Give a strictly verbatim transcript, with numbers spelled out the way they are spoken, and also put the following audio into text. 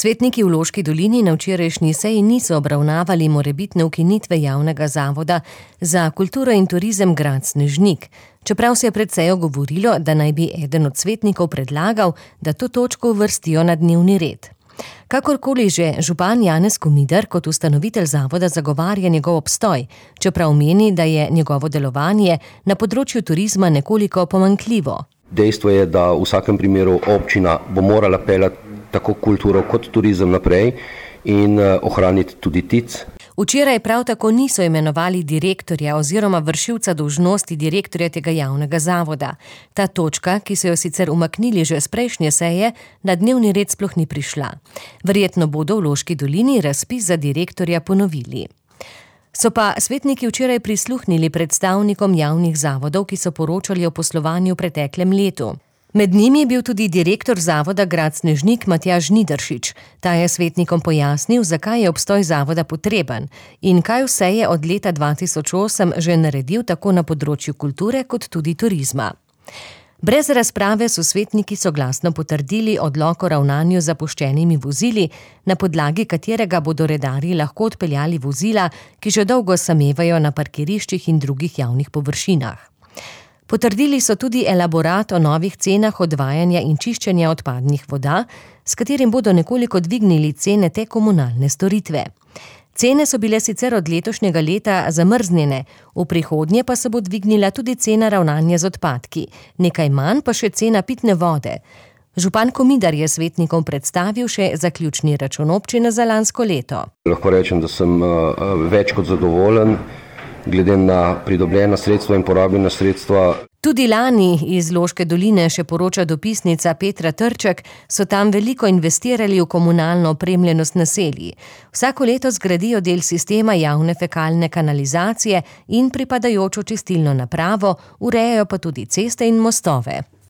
Svetniki v Loški dolini na včerajšnji seji niso obravnavali morebitne ukinitve javnega zavoda za kulturo in turizem Grad Snežnik, čeprav se je pred sejo govorilo, da naj bi eden od svetnikov predlagal, da to točko uvrstijo na dnevni red. Kakorkoli že, župan Janez Komider kot ustanovitelj zavoda zagovarja njegov obstoj, čeprav meni, da je njegovo delovanje na področju turizma nekoliko pomanjkljivo. Dejstvo je, da v vsakem primeru občina bo morala peljati tako kulturo kot turizem naprej in ohraniti tudi T I C. Včeraj prav tako niso imenovali direktorja oziroma vršilca dolžnosti direktorja tega javnega zavoda. Ta točka, ki so jo sicer umaknili že s prejšnje seje, na dnevni red sploh ni prišla. Verjetno bodo v Loški dolini razpis za direktorja ponovili. So pa svetniki včeraj prisluhnili predstavnikom javnih zavodov, ki so poročali o poslovanju v preteklem letu. Med njimi je bil tudi direktor zavoda Grad Snežnik Matjaž Žnidaršič. Ta je svetnikom pojasnil, zakaj je obstoj zavoda potreben in kaj vse je od leta dva tisoč osem že naredil tako na področju kulture kot tudi turizma. Brez razprave so svetniki soglasno potrdili odlok o ravnanju z zapuščenimi vozili, na podlagi katerega bodo redarji lahko odpeljali vozila, ki že dolgo samevajo na parkiriščih in drugih javnih površinah. Potrdili so tudi elaborat o novih cenah odvajanja in čiščenja odpadnih voda, s katerim bodo nekoliko dvignili cene te komunalne storitve. Cene so bile sicer od letošnjega leta zamrznjene, v prihodnje pa se bo dvignila tudi cena ravnanja z odpadki, nekaj manj pa še cena pitne vode. Župan Komider je svetnikom predstavil še zaključni račun občine za lansko leto. Lahko rečem, da sem uh, več kot zadovoljen, glede na pridobljena sredstva in porabljena sredstva. Tudi lani iz Loške doline, še poroča dopisnica Petra Trček, so tam veliko investirali v komunalno opremljenost naselij. Vsako leto zgradijo del sistema javne fekalne kanalizacije in pripadajočo čistilno napravo, urejajo pa tudi ceste in mostove.